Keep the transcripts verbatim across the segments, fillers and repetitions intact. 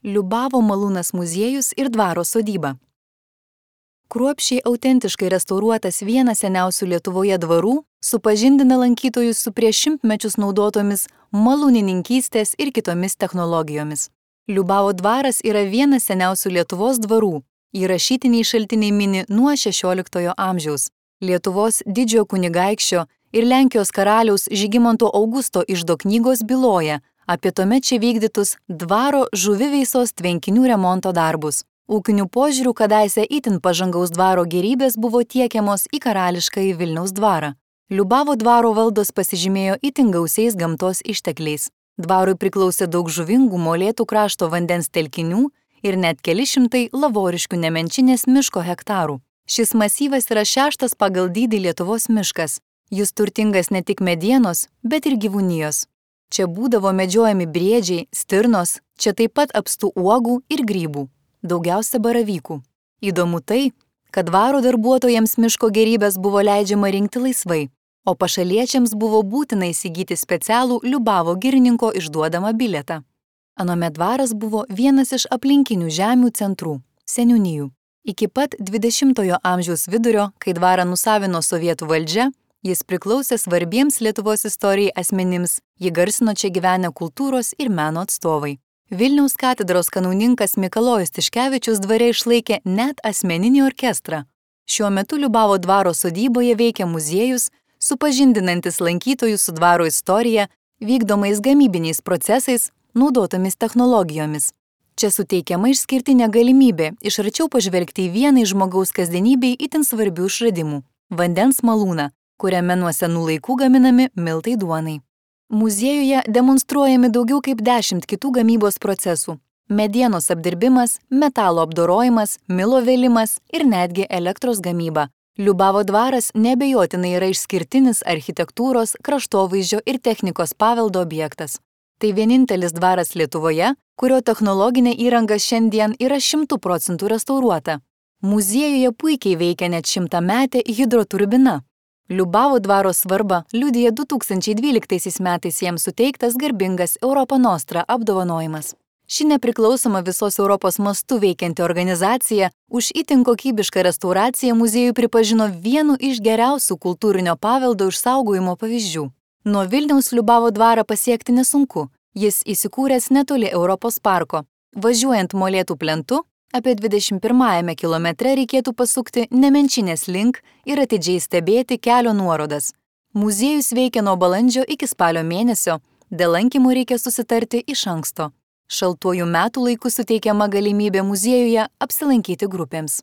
Liubavo malūnas muziejus ir dvaro sodyba. Kruopščiai autentiškai restauruotas vienas seniausių Lietuvoje dvarų supažindina lankytojus su prieš šimtmečius naudotomis malūnininkystės ir kitomis technologijomis. Liubavo dvaras yra vienas seniausių Lietuvos dvarų, įrašytiniai šaltiniai mini nuo šešioliktojo amžiaus. Lietuvos didžiojo kunigaikščio ir Lenkijos karaliaus Žygimanto Augusto iždo knygos byloja apie tuomet čia vykdytus dvaro žuviveisos tvenkinių remonto darbus. Ūkinių požiūrių kadaise itin pažangaus dvaro gėrybės buvo tiekiamos į karališkąjį Vilniaus dvarą. Liubavo dvaro valdos pasižymėjo itin gausiais gamtos ištekliais. Dvarui priklausė daug žuvingų molėtų krašto vandens telkinių ir net keli šimtai lavoriškių nemenčinės miško hektarų. Šis masyvas yra šeštas pagal dydį Lietuvos miškas. Jis turtingas ne tik medienos, bet ir gyvūnijos. Čia būdavo medžiojami briedžiai, stirnos, čia taip pat apstų uogų ir grybų, daugiausia baravykų. Įdomu tai, kad dvaro darbuotojams miško gėrybės buvo leidžiama rinkti laisvai, o pašaliečiams buvo būtina įsigyti specialų Liubavo girininko išduodamą bilietą. Anuomet dvaras buvo vienas iš aplinkinių žemių centrų – seniūnijų. Iki pat dvidešimtojo amžiaus vidurio, kai dvarą nusavino sovietų valdžia, jis priklausė svarbiems Lietuvos istorijai asmenims, jį garsino čia gyvenę kultūros ir meno atstovai. Vilniaus katedros kanauninkas Mikalojus Tiškevičius dvare išlaikė net asmeninį orkestrą. Šiuo metu Liubavo dvaro sodyboje veikia muziejus, supažindinantis lankytojus su dvaro istorija, vykdomais gamybiniais procesais, naudotomis technologijomis. Čia suteikiama išskirtinė galimybė iš arčiau pažvelgti į vieną iš žmogaus kasdienybei itin svarbių išradimų – vandens malūną, kuriame nuo senų laikų gaminami miltai duonai. Muziejuje demonstruojami daugiau kaip dešimt kitų gamybos procesų – medienos apdirbimas, metalo apdorojimas, milo vėlimas ir netgi elektros gamyba. Liubavo dvaras neabejotinai yra išskirtinis architektūros, kraštovaizdžio ir technikos paveldo objektas. Tai vienintelis dvaras Lietuvoje, kurio technologinė įranga šiandien yra šimtų procentų restauruota. Muziejuje puikiai veikia net šimtametė hidroturbina. Liubavo dvaro svarbą liudija du tūkstančiai dvyliktaisiais metais jiems suteiktas garbingas Europa Nostra apdovanojimas. Ši nepriklausoma visos Europos mastu veikianti organizacija už itin kokybišką restauraciją muziejų pripažino vienu iš geriausių kultūrinio paveldo išsaugojimo pavyzdžių. Nuo Vilniaus Liubavo dvarą pasiekti nesunku. Jis įsikūręs netoli Europos parko. Važiuojant molėtų plentu, apie dvidešimt pirmajame kilometre reikėtų pasukti Nemenčinės link ir atidžiai stebėti kelio nuorodas. Muziejus veikia nuo balandžio iki spalio mėnesio, dėl lankymų reikia susitarti iš anksto. Šaltuoju metų laiku suteikiama galimybė muziejuje apsilankyti grupėms.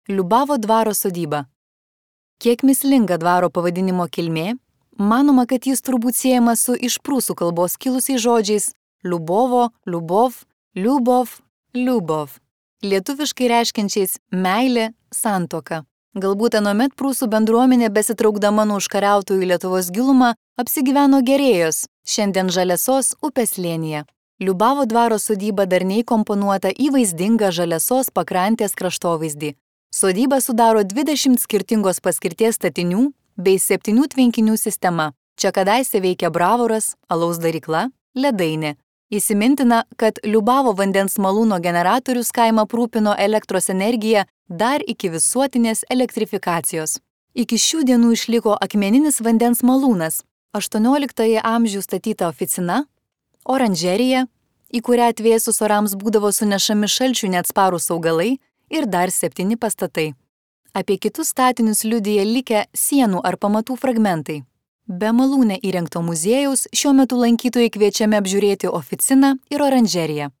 Liubavo dvaro sodyba. Kiek mįslinga dvaro pavadinimo kilmė, manoma, kad jis turbūt siejamas su iš prūsų kalbos kilusiais žodžiais Liubovo, Liubov, Liubov, Liubov, lietuviškai reiškiančiais meilė, santuoka. Galbūt anuomet prūsų bendruomenė besitraukdama nuo užkariautojų Lietuvos gilumą apsigyveno Gerėjos, šiandien Žaliasos upės slėnyje. Liubavo dvaro sodyba darniai komponuota į vaizdingą Žaliasos pakrantės kraštovaizdį. Sodyba sudaro dvidešimt skirtingos paskirties statinių bei septynių tvenkinių sistema. Čia kadaise veikia bravoras, alaus darykla, ledainė. Įsimintina, kad Liubavo vandens malūno generatorius kaimą aprūpino elektros energiją dar iki visuotinės elektrifikacijos. Iki šių dienų išliko akmeninis vandens malūnas, aštuonioliktojo amžiaus statyta oficina, oranžerija, į kurią atvėsus orams būdavo sunešami šalčių neatsparūs augalai ir dar septyni pastatai. Apie kitus statinius liudija likę sienų ar pamatų fragmentai. Be malūne įrengto muziejaus šiuo metu lankytojai kviečiami apžiūrėti oficiną ir oranžeriją.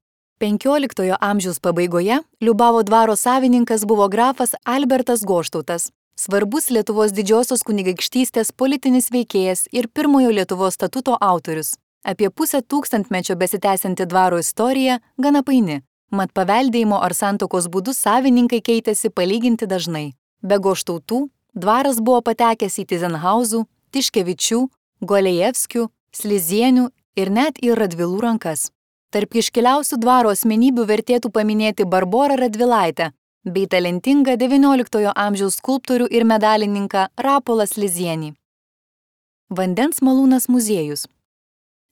penkioliktojo amžiaus pabaigoje Liubavo dvaro savininkas buvo grafas Albertas Goštautas, svarbus Lietuvos didžiosios kunigaikštystės politinis veikėjas ir pirmojo Lietuvos statuto autorius. Apie pusę tūkstantmečio besitęsianti dvaro istorija gana paini, mat paveldėjimo ar santuokos būdu savininkai keitėsi palyginti dažnai. Be Goštautų dvaras buvo patekęs į Tyzenhauzų, Tiškevičių, Golejevskių, Slizienių ir net į Radvilų rankas. Tarp iškiliausių dvaro asmenybių vertėtų paminėti Barborą Radvilaitę bei talentingą devynioliktojo amžiaus skulptorių ir medalininką Rapolą Slizienį. Vandens malūnas muziejus.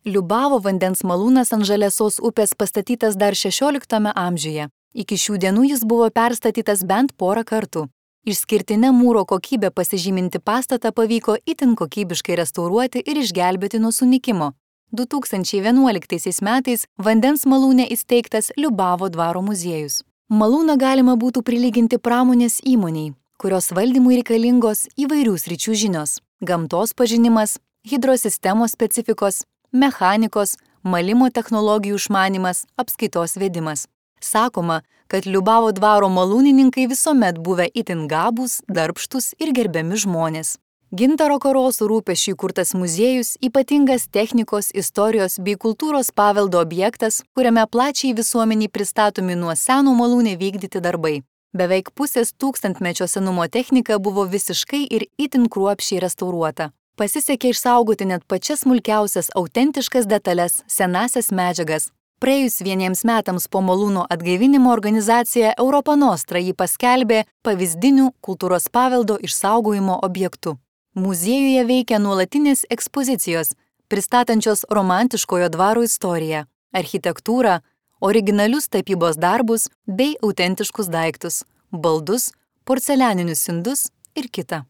Liubavo vandens malūnas ant Žaliasos upės pastatytas dar šešioliktame amžiuje. Iki šių dienų jis buvo perstatytas bent porą kartų. Išskirtinė mūro kokybė pasižyminti pastatą pavyko itin kokybiškai restauruoti ir išgelbėti nuo sunykimo. du tūkstančiai vienuoliktaisiais metais vandens malūne įsteigtas Liubavo dvaro muziejus. Malūną galima būtų prilyginti pramonės įmoniai, kurios valdymui reikalingos įvairių sričių žinios – gamtos pažinimas, hidrosistemos specifikos, mechanikos, malimo technologijų išmanymas, apskaitos vedimas. Sakoma, kad Liubavo dvaro malūnininkai visuomet buvę itin gabūs, darbštus ir gerbiami žmonės. Gintaro Karosų rūpesčiui kurtas muziejus ypatingas technikos, istorijos bei kultūros paveldo objektas, kuriame plačiai visuomeniai pristatomi nuo seno malūne vykdyti darbai. Beveik pusės tūkstantmečio senumo technika buvo visiškai ir itin kruopščiai restauruota. Pasisekė išsaugoti net pačias smulkiausias autentiškas detales, senasias medžiagas. Praėjus vieniems metams po malūno atgaivinimo organizacija Europa Nostra jį paskelbė pavyzdiniu kultūros paveldo išsaugojimo objektu. Muziejuje veikia nuolatinės ekspozicijos, pristatančios romantiškojo dvaro istoriją, architektūrą, originalius tapybos darbus bei autentiškus daiktus, baldus, porcelianinius indus ir kita.